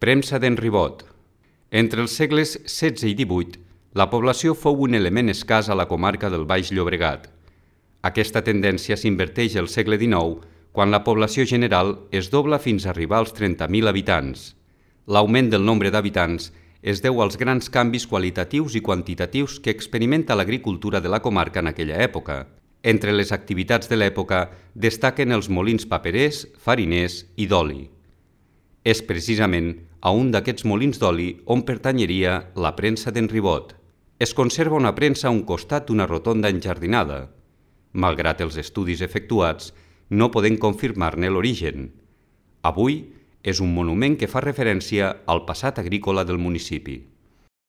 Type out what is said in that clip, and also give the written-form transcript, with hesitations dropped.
Premsa d'en Ribot. Entre els segles XVI i XVIII, la població fou un element escàs a la comarca del Baix Llobregat. Aquesta tendència s'inverteix al segle XIX, quan la població general es dobla fins a arribar als 30.000 habitants. L'augment del nombre d'habitants es deu als grans canvis qualitatius i quantitatius que experimenta l'agricultura de la comarca en aquella època. Entre les activitats de l'època destaquen els molins paperers, fariners i d'oli. És precisament a un d'aquests molins d'oli on pertanyeria la premsa d'en Ribot. Es conserva una premsa a un costat d'una rotonda enjardinada. Malgrat els estudis efectuats, no podem confirmar-ne l'origen. Avui és un monument que fa referència al passat agrícola del municipi.